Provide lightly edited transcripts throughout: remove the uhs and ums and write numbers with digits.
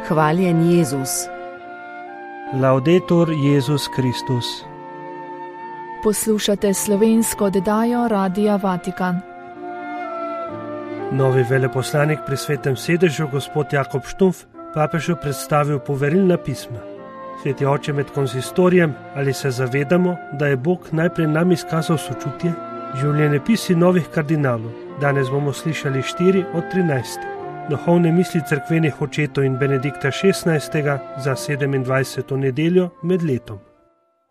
Hvaljen Jezus. Laudetur Jezus Kristus. Poslušate slovensko oddajo Radia Vatikan. Novi veleposlanik pri Svetem sedežu, gospod Jakob Štumpf, papežu predstavil poverilna pisma. Sveti oče, med konsistorijem, ali se zavedamo, da je Bog najprej nam izkazal sočutje? Življenjepisi novih kardinalov. Danes bomo slišali 4 od 13. Duhovne misli cerkvenih očetov in Benedikta XVI. Za 27. nedeljo med letom.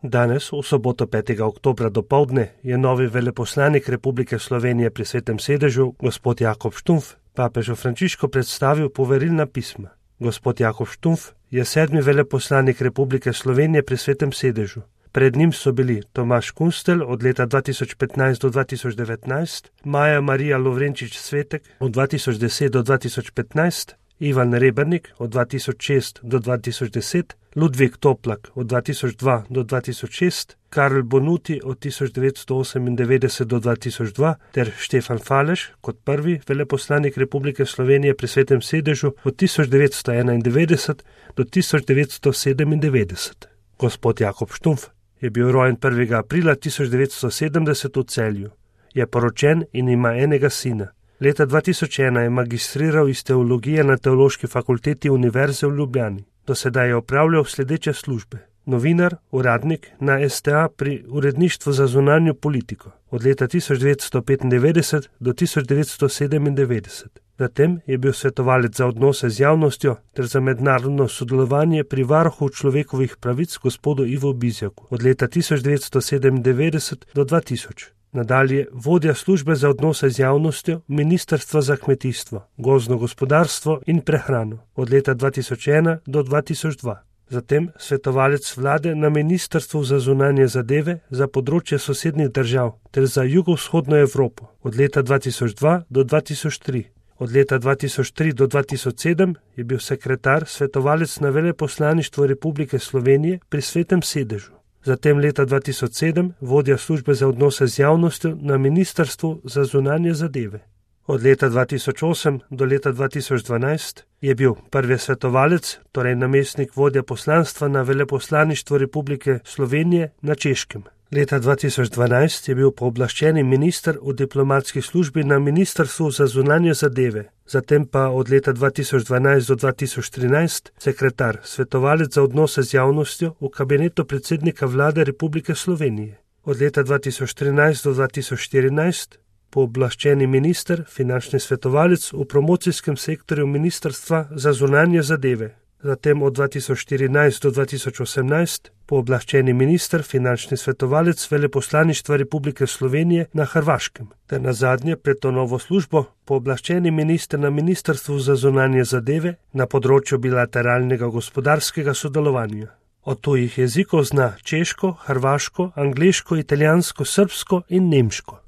Danes, v soboto 5. oktobra dopoldne, je novi veleposlanik Republike Slovenije pri Svetem sedežu, gospod Jakob Štumpf, papežu Frančišku predstavil poverilna pisma. Gospod Jakob Štumpf je 7. veleposlanik Republike Slovenije pri Svetem sedežu. Pred njim so bili Tomaž Kunstelj od leta 2015 do 2019, Maja Marija Lovrenčič Svetek od 2010 do 2015, Ivan Rebernik od 2006 do 2010, Ludvik Toplak od 2002 do 2006, Karl Bonuti od 1998 do 2002 ter Štefan Faleš kot prvi veleposlanik Republike Slovenije pri Svetem sedežu od 1991 do 1997. Gospod Jakob Štumpf je bil rojen 1. aprila 1970 v Celju. Je poročen in ima enega sina. Leta 2001 je magistriral iz teologije na Teološki fakulteti Univerze v Ljubljani. Do sedaj je opravljal sledeče službe. Novinar, uradnik na STA pri uredništvu za zunanjo politiko od leta 1995 do 1997. Zatem je bil svetovalec za odnose z javnostjo ter za mednarodno sodelovanje pri varuhu človekovih pravic gospodu Ivu Bizjaku od leta 1997 do 2000. Nadalje vodja službe za odnose z javnostjo Ministrstva za kmetijstvo, gozdno gospodarstvo in prehrano od leta 2001 do 2002. Zatem svetovalec vlade na Ministrstvu za zunanje zadeve za področje sosednjih držav ter za jugovzhodno Evropo od leta 2002 do 2003. Od leta 2003 do 2007 je bil sekretar svetovalec na veleposlaništvu Republike Slovenije pri Svetem sedežu. Zatem leta 2007 vodja službe za odnose z javnostjo na Ministrstvu za zunanje zadeve. Od leta 2008 do leta 2012 je bil prvi svetovalec, torej namestnik vodja poslanstva na veleposlaništvu Republike Slovenije na Češkem. Leta 2012 je bil pooblaščeni minister v diplomatski službi na Ministrstvu za zunanje zadeve, zatem pa od leta 2012 do 2013 sekretar, svetovalec za odnose z javnostjo v kabinetu predsednika vlade Republike Slovenije. Od leta 2013 do 2014 pooblaščeni minister, finančni svetovalec v promocijskem sektorju Ministrstva za zunanje zadeve. Zatem od 2014 do 2018 pooblaščeni minister, finančni svetovalec veleposlaništva Republike Slovenije na Hrvaškem. Ter nazadnje pred to novo službo pooblaščeni minister na Ministrstvu za zunanje zadeve na področju bilateralnega gospodarskega sodelovanja. Od tujih jezikov zna češko, hrvaško, angleško, italijansko, srbsko in nemško.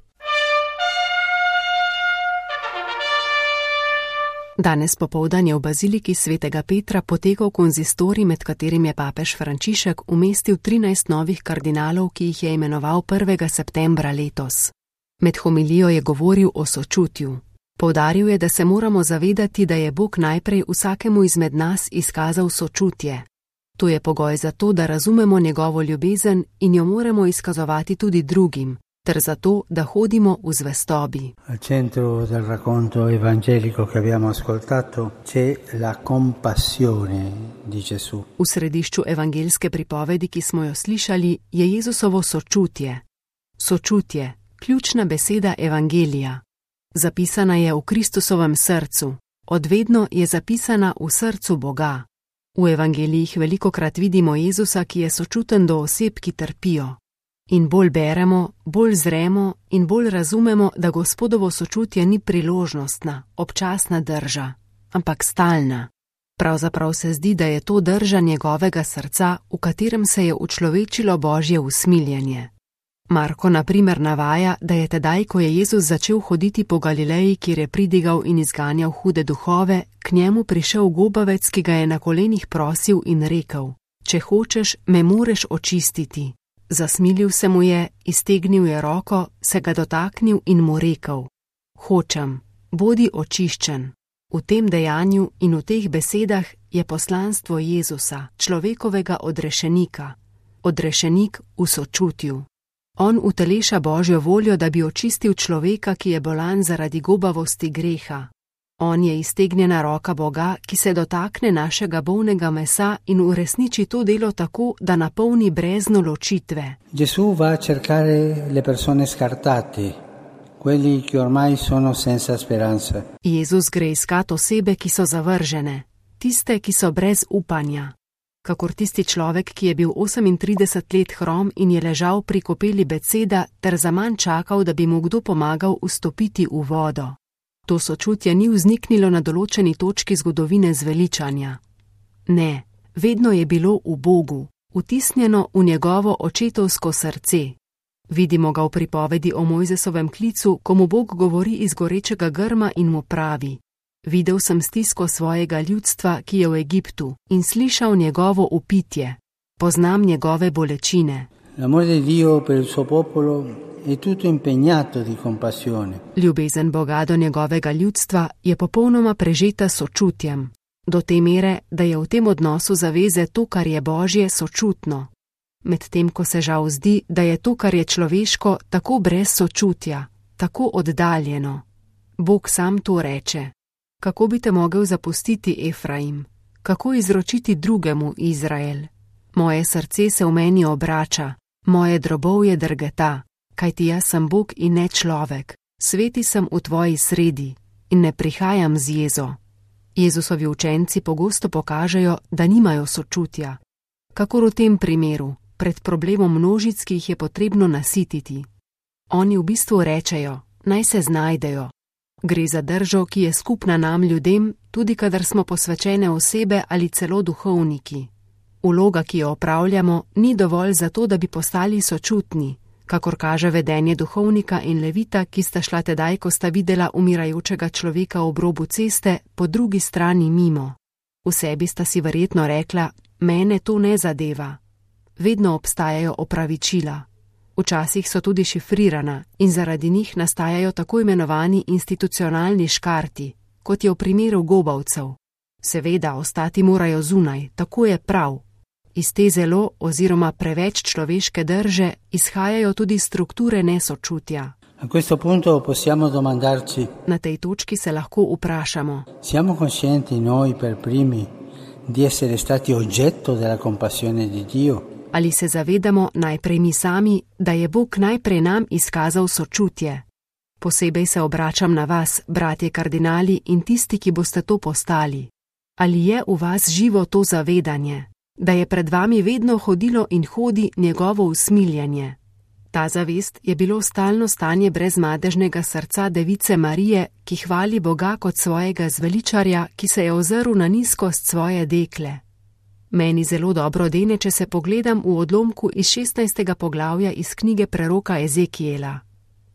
Danes popoldan je v baziliki svetega Petra potekal konzistorij, med katerim je papež Frančišek umestil 13 novih kardinalov, ki jih je imenoval 1. septembra letos. Med homilijo je govoril o sočutju. Poudaril je, da se moramo zavedati, da je Bog najprej vsakemu izmed nas izkazal sočutje. To je pogoj za to, da razumemo njegovo ljubezen in jo moramo izkazovati tudi drugim, ter zato, da hodimo v zvestobi. Al centro del racconto evangelico che abbiamo ascoltato c'è la compassione di Gesù. V središču evangelske pripovedi, ki smo jo slišali, je Jezusovo sočutje. Sočutje, ključna beseda evangelija. Zapisana je v Kristusovem srcu. Odvedno je zapisana v srcu Boga. V evangelijih velikokrat vidimo Jezusa, ki je sočuten do oseb, ki trpijo. In bolj beremo, bolj zremo in bolj razumemo, da Gospodovo sočutje ni priložnostna, občasna drža, ampak stalna. Pravzaprav se zdi, da je to drža njegovega srca, v katerem se je učlovečilo Božje usmiljenje. Marko na primer navaja, da je tedaj, ko je Jezus začel hoditi po Galileji, kjer je pridigal in izganjal hude duhove, k njemu prišel gobavec, ki ga je na kolenih prosil in rekel: "Če hočeš, me moreš očistiti." Zasmilil se mu je, iztegnil je roko, se ga dotaknil in mu rekel: "Hočem, bodi očiščen." V tem dejanju in v teh besedah je poslanstvo Jezusa, človekovega odrešenika, odrešenik v sočutju. On uteleša Božjo voljo, da bi očistil človeka, ki je bolan zaradi gobavosti greha. On je iztegnjena roka Boga, ki se dotakne našega bolnega mesa in uresniči to delo tako, da napolni brezno ločitve. Gesù va a cercare le persone scartate, quelli che ormai sono senza speranza. Jezus gre iskat osebe, ki so zavržene, tiste, ki so brez upanja. Kakor tisti človek, ki je bil 38 let hrom in je ležal pri kopeli Beceda ter zaman čakal, da bi mu kdo pomagal vstopiti v vodo. To sočutje ni vzniknilo na določeni točki zgodovine zveličanja. Ne, vedno je bilo v Bogu, vtisnjeno v njegovo očetovsko srce. Vidimo ga v pripovedi o Mojzesovem klicu, ko mu Bog govori iz gorečega grma in mu pravi: Videl sem stisko svojega ljudstva, ki je v Egiptu, in slišal njegovo upitje. Poznam njegove bolečine. L'amore di Dio per il suo popolo è tutto impegnato di compassione. Ljubezen Boga do njegovega ljudstva je popolnoma prežeta sočutjem, do te mere, da je v tem odnosu zaveze to, kar je Božje, sočutno. Medtem ko se žal zdi, da je to, kar je človeško, tako brez sočutja, tako oddaljeno. Bog sam to reče. Kako bi te mogel zapustiti, Efraim? Kako izročiti drugemu, Izrael? Moje srce se v meni obrača, moje drobovje drgeta, kajti jaz sem Bog in ne človek, sveti sem v tvoji sredi in ne prihajam z jezo. Jezusovi učenci pogosto pokažejo, da nimajo sočutja. Kakor v tem primeru, pred problemom množic, ki jih je potrebno nasititi. Oni v bistvu rečejo, naj se znajdejo. Gre za držo, ki je skupna nam ljudem, tudi kadar smo posvečene osebe ali celo duhovniki. Vloga, ki jo opravljamo, ni dovolj za to, da bi postali sočutni, kakor kaže vedenje duhovnika in levita, ki sta šla tedaj, ko sta videla umirajočega človeka ob robu ceste, po drugi strani mimo. V sebi sta si verjetno rekla, mene to ne zadeva. Vedno obstajajo opravičila. Včasih so tudi šifrirana in zaradi njih nastajajo tako imenovani institucionalni škarti, kot je v primeru gobavcev. Seveda, ostati morajo zunaj, tako je prav. Iz te zelo oziroma preveč človeške drže izhajajo tudi strukture nesočutja. A questo punto possiamo domandarci: Na tej točki se lahko vprašamo: siamo coscienti noi per primi di essere stati oggetto della compassione di Dio? Ali se zavedamo najprej mi sami, da je Bog najprej nam izkazal sočutje? Posebej se obračam na vas, bratje kardinali in tisti, ki boste to postali. Ali je v vas živo to zavedanje, da je pred vami vedno hodilo in hodi njegovo usmiljenje? Ta zavest je bilo stalno stanje brezmadežnega srca device Marije, ki hvali Boga kot svojega zveličarja, ki se je ozrl na nizkost svoje dekle. Meni zelo dobro dene, če se pogledam v odlomku iz 16. poglavja iz knjige preroka Ezekijela.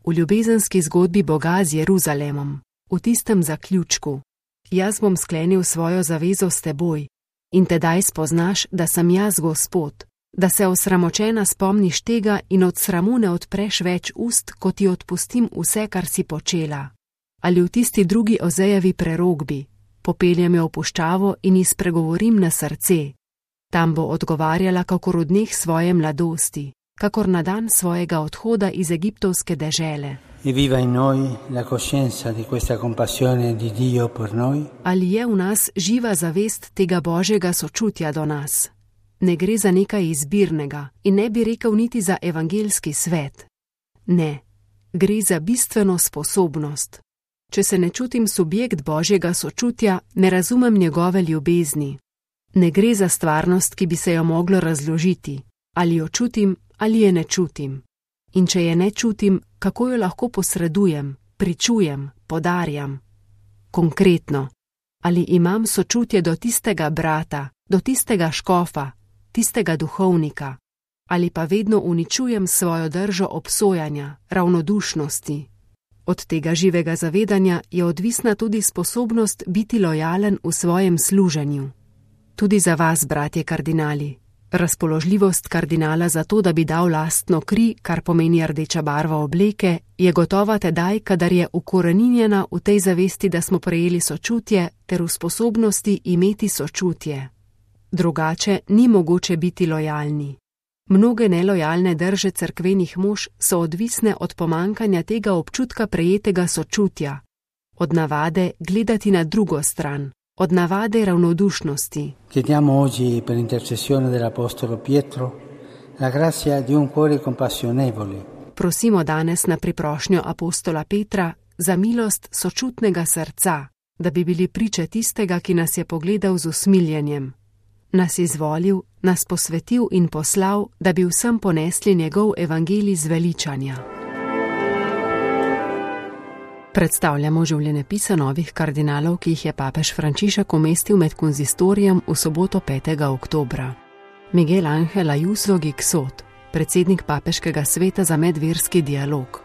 V ljubezenski zgodbi Boga z Jeruzalemom, v tistem zaključku: Jaz bom sklenil svojo zavezo s teboj in tedaj spoznaš, da sem jaz Gospod, da se osramočena spomniš tega in od sramu ne odpreš več ust, ko ti odpustim vse, kar si počela. Ali v tisti drugi Ozejevi prerokbi: Popeljem jo v puščavo in ji spregovorim na srce. Tam bo odgovarjala kakor v dneh svoje mladosti, kakor na dan svojega odhoda iz egiptovske dežele. E viva in noi la coscienza di questa compassione di Dio per noi? Ali je v nas živa zavest tega Božjega sočutja do nas? Ne gre za nekaj izbirnega in ne bi rekel niti za evangeljski svet. Ne, gre za bistveno sposobnost. Če se ne čutim subjekt Božjega sočutja, ne razumem njegove ljubezni. Ne gre za stvarnost, ki bi se jo moglo razložiti. Ali jo čutim, ali je ne čutim. In če je ne čutim, kako jo lahko posredujem, pričujem, podarjam? Konkretno, ali imam sočutje do tistega brata, do tistega škofa, tistega duhovnika? Ali pa vedno uničujem svojo držo obsojanja, ravnodušnosti? Od tega živega zavedanja je odvisna tudi sposobnost biti lojalen v svojem služenju. Tudi za vas, bratje kardinali. Razpoložljivost kardinala za to, da bi dal lastno kri, kar pomeni rdeča barva obleke, je gotova tedaj, kadar je ukoreninjena v tej zavesti, da smo prejeli sočutje ter v sposobnosti imeti sočutje. Drugače ni mogoče biti lojalni. Mnoge nelojalne drže cerkvenih mož so odvisne od pomankanja tega občutka prejetega sočutja, od navade gledati na drugo stran, od navade ravnodušnosti. Chiediamo oggi per intercessione dell'apostolo Pietro la grazia di un cuore compassionevole. Prosimo danes na priprošnjo apostola Petra za milost sočutnega srca, da bi bili priče tistega, ki nas je pogledal z usmiljenjem, nas izvolil, nas posvetil in poslal, da bi vsem ponesli njegov evangelij zveličanja. Predstavljamo življenjepise novih kardinalov, ki jih je papež Frančišek umestil med konzistorijem v soboto 5. oktobra. Miguel Ángel Ayuso Gixot, predsednik papeškega sveta za medverski dialog.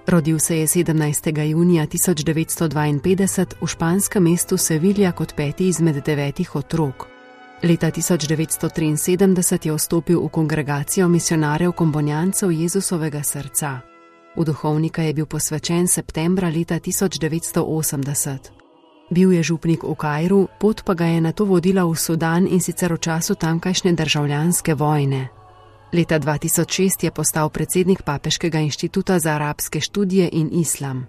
Rodil se je 17. junija 1952 v španskem mestu Sevilla kot 5. izmed 9 otrok. Leta 1973 je vstopil v kongregacijo misionarjev kombonjancev Jezusovega srca. V duhovnika je bil posvečen septembra leta 1980. Bil je župnik v Kairu, pot pa ga je nato vodila v Sudan in sicer v času tamkajšnje državljanske vojne. Leta 2006 je postal predsednik Papeškega inštituta za arabske študije in islam.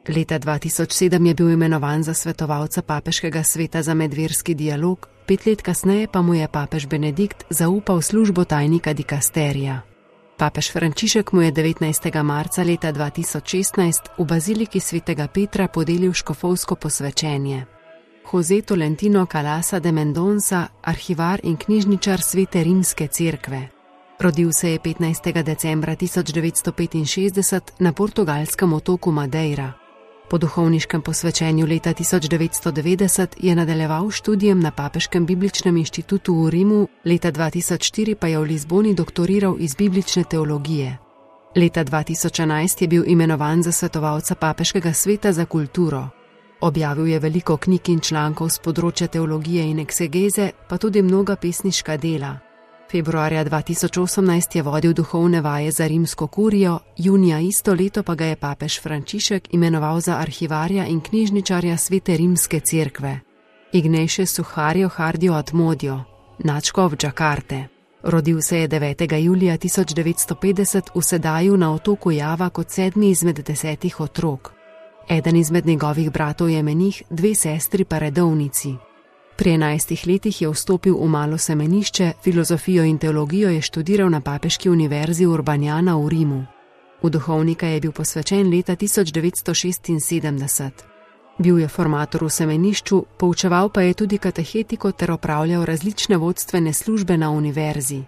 Leta 2007 je bil imenovan za svetovalca Papeškega sveta za medverski dialog, 5 let kasneje pa mu je papež Benedikt zaupal službo tajnika dikasterija. Papež Frančišek mu je 19. marca leta 2016 v baziliki svetega Petra podelil škofovsko posvečenje. José Tolentino Calasa de Mendonça, arhivar in knjižničar Svete rimske cerkve. Rodil se je 15. decembra 1965 na portugalskem otoku Madeira. Po duhovniškem posvečenju leta 1990 je nadaljeval študijem na Papeškem bibličnem inštitutu v Rimu, leta 2004 pa je v Lizboni doktoriral iz biblične teologije. Leta 2011 je bil imenovan za svetovalca Papeškega sveta za kulturo. Objavil je veliko knjig in člankov z področja teologije in eksegeze, pa tudi mnoga pesniška dela. Februarja 2018 je vodil duhovne vaje za rimsko kurijo, junija isto leto pa ga je papež Frančišek imenoval za arhivarja in knjižničarja Svete rimske cerkve. Ignatius Suharjo Hardio Atmodio, nadškof Džakarte. Rodil se je 9. julija 1950 v Sedaju na otoku Java kot 7. izmed 10 otrok. Eden izmed njegovih bratov je menih, 2 sestri pa redovnici. Pri 11 letih je vstopil v malo semenišče, filozofijo in teologijo je študiral na Papeški univerzi Urbanjana v Rimu. V duhovnika je bil posvečen leta 1976. Bil je formator v semenišču, poučeval pa je tudi katehetiko ter opravljal različne vodstvene službe na univerzi.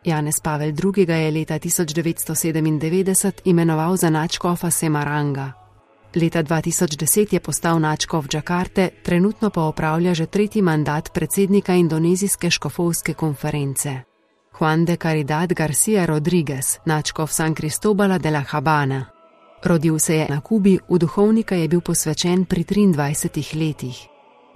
Janez Pavel II. Ga je leta 1997 imenoval za nadškofa Semaranga. Leta 2010 je postal nadškof Džakarte, trenutno pa opravlja že 3. mandat predsednika indonezijske škofovske konference. Juan de Caridad García Rodríguez, nadškof San Cristóbala de la Habana. Rodil se je na Kubi, v duhovnika je bil posvečen pri 23 letih.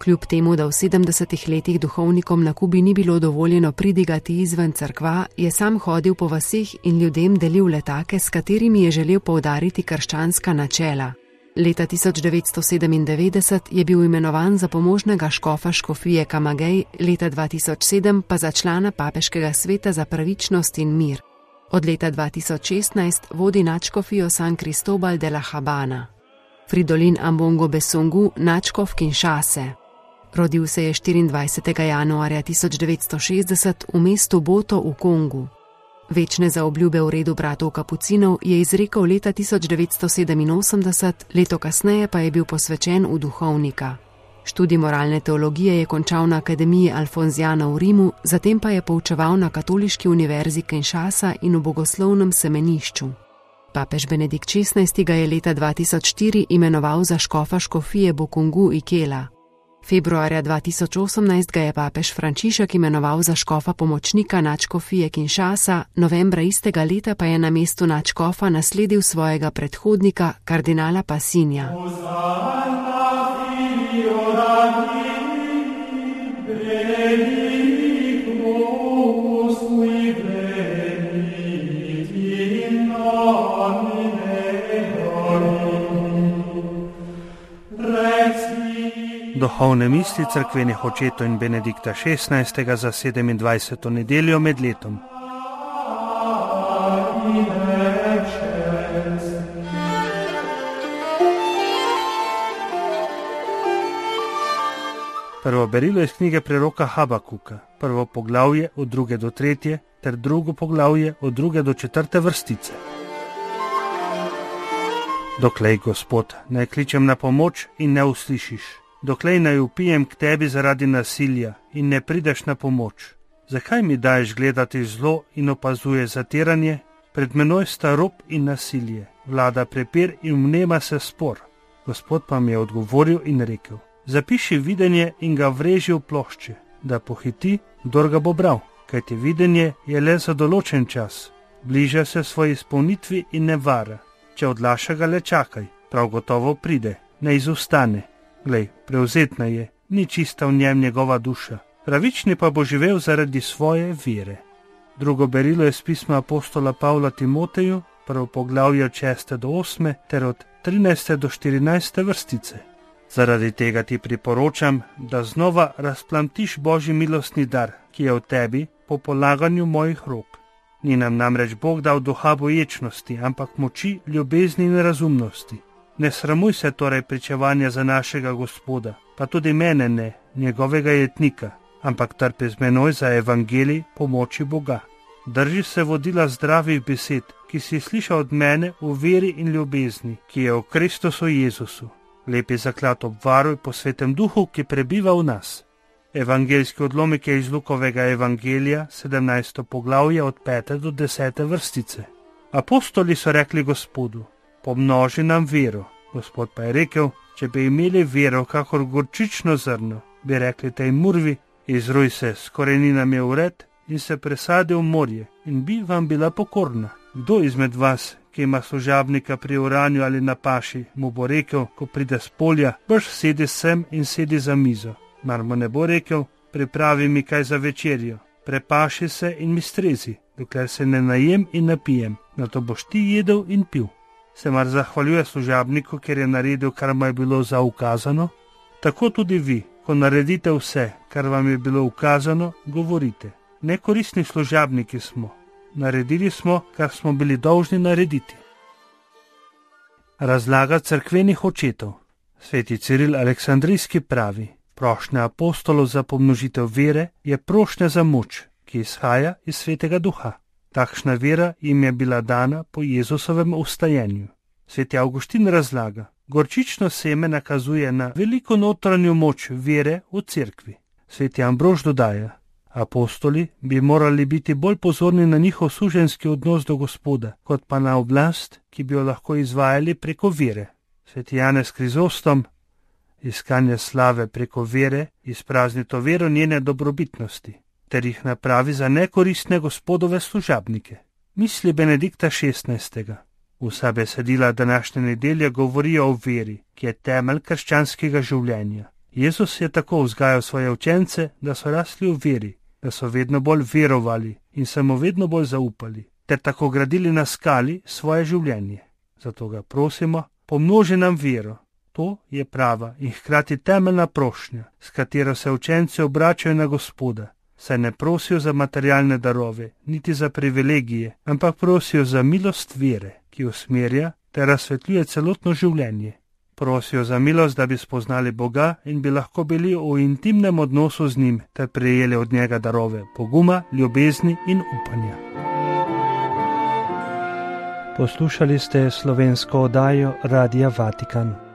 Kljub temu, da v 70 letih duhovnikom na Kubi ni bilo dovoljeno pridigati izven cerkva, je sam hodil po vaseh in ljudem delil letake, s katerimi je želel poudariti krščanska načela. Leta 1997 je bil imenovan za pomožnega škofa škofije Camagüey, leta 2007 pa za člana Papeškega sveta za pravičnost in mir. Od leta 2016 vodi nadškofijo San Cristóbal de la Habana. Fridolin Ambongo Besungu, nadškof Kinshase. Rodil se je 24. januarja 1960 v mestu Boto v Kongu. Večne zaobljube v redu bratov kapucinov je izrekel leta 1987, leto kasneje pa je bil posvečen v duhovnika. Študij moralne teologije je končal na Akademiji Alfonziana v Rimu, zatem pa je poučeval na Katoliški univerzi Kinshasa in v bogoslovnem semenišču. Papež Benedikt XVI. Ga je leta 2004 imenoval za škofa škofije Bokungu Ikela. Februarja 2018 ga je papež Frančišek imenoval za škofa pomočnika nadškofije Kinshasa, novembra istega leta pa je na mestu nadškofa nasledil svojega predhodnika, kardinala Passinja. Duhovne misli cerkvenih očetov in Benedikta XVI. Za 27. nedeljo med letom. Prvo berilo iz knjige preroka Habakuka, prvo poglavje od 2. do 3. ter drugo poglavje od 2. do 4. vrstice. Doklej, Gospod, naj kličem na pomoč in ne uslišiš. Doklej naj vpijem k tebi zaradi nasilja in ne prideš na pomoč. Zakaj mi daješ gledati zlo in opazuje zatiranje? Pred menoj sta rob in nasilje, vlada prepir in vnema se spor. Gospod pa mi je odgovoril in rekel: zapiši videnje in ga vreži v plošče, da pohiti, kdor ga bo bral, kajti videnje je le za določen čas, bliža se svoji izpolnitvi in ne vara. Če odlaša ga, le čakaj, prav gotovo pride, ne izostane. Glej, prevzetna je, ni čista v njem njegova duša, pravični pa bo živel zaradi svoje vere. Drugo berilo je z pisma apostola Pavla Timoteju, prvo poglavje od 6. do 8. ter od 13. do 14. vrstice. Zaradi tega ti priporočam, da znova razplamtiš Božji milostni dar, ki je v tebi po polaganju mojih rok. Ni nam namreč Bog dal duha boječnosti, ampak moči, ljubezni in razumnosti. Ne sramuj se torej pričevanja za našega Gospoda, pa tudi mene ne, njegovega jetnika, ampak trpi z menoj za evangelij pomoči Boga. Drži se vodila zdravih besed, ki si slišal od mene v veri in ljubezni, ki je v Kristusu Jezusu. Lepi zaklad obvaruj po Svetem Duhu, ki prebiva v nas. Evangeljski odlomek je iz Lukovega evangelija, 17. poglavje od 5. do 10. vrstice. Apostoli so rekli Gospodu: pomnoži nam vero. Gospod pa je rekel: če bi imeli vero kakor gorčično zrno, bi rekli tej murvi: izruj se s koreninami v red in se presadi v morje, in bi vam bila pokorna. Kdo izmed vas, ki ima služabnika pri oranju ali na paši, mu bo rekel, ko pride s polja: brž sedi sem in sedi za mizo? Mar mu ne bo rekel: pripravi mi kaj za večerjo, prepaši se in mi strezi, dokler se ne najem in napijem, nato boš ti jedel in pil. Se mar zahvaljuje služabniku, ker je naredil, kar mu je bilo zaukazano? Tako tudi vi, ko naredite vse, kar vam je bilo ukazano, govorite: nekoristni služabniki smo, naredili smo, kar smo bili dolžni narediti. Razlaga cerkvenih očetov. Sveti Ciril Aleksandrijski pravi: prošnja apostolov za pomnožitev vere je prošnja za moč, ki izhaja iz Svetega Duha. Takšna vera jim je bila dana po Jezusovem vstajenju. Sveti Avguštin razlaga: gorčično seme nakazuje na veliko notranjo moč vere v cerkvi. Sveti Ambrož dodaja: apostoli bi morali biti bolj pozorni na njihov suženjski odnos do Gospoda, kot pa na oblast, ki bi jo lahko izvajali preko vere. Sveti Janez Krizostom: iskanje slave preko vere izprazni to vero njene dobrobitnosti, ter jih napravi za nekoristne Gospodove služabnike. Misli Benedikta XVI. Vsa besedila današnje nedelje govorijo o veri, ki je temelj krščanskega življenja. Jezus je tako vzgajal svoje učence, da so rasli v veri, da so vedno bolj verovali in se mu vedno bolj zaupali, ter tako gradili na skali svoje življenje. Zato ga prosimo: pomnoži nam vero. To je prava in hkrati temeljna prošnja, s katero se učenci obračajo na Gospoda, saj ne prosijo za materialne darove, niti za privilegije, ampak prosijo za milost vere, ki usmerja ter razsvetljuje celotno življenje. Prosijo za milost, da bi spoznali Boga in bi lahko bili v intimnem odnosu z njim ter prejeli od njega darove poguma, ljubezni in upanja. Poslušali ste slovensko oddajo Radia Vatikan.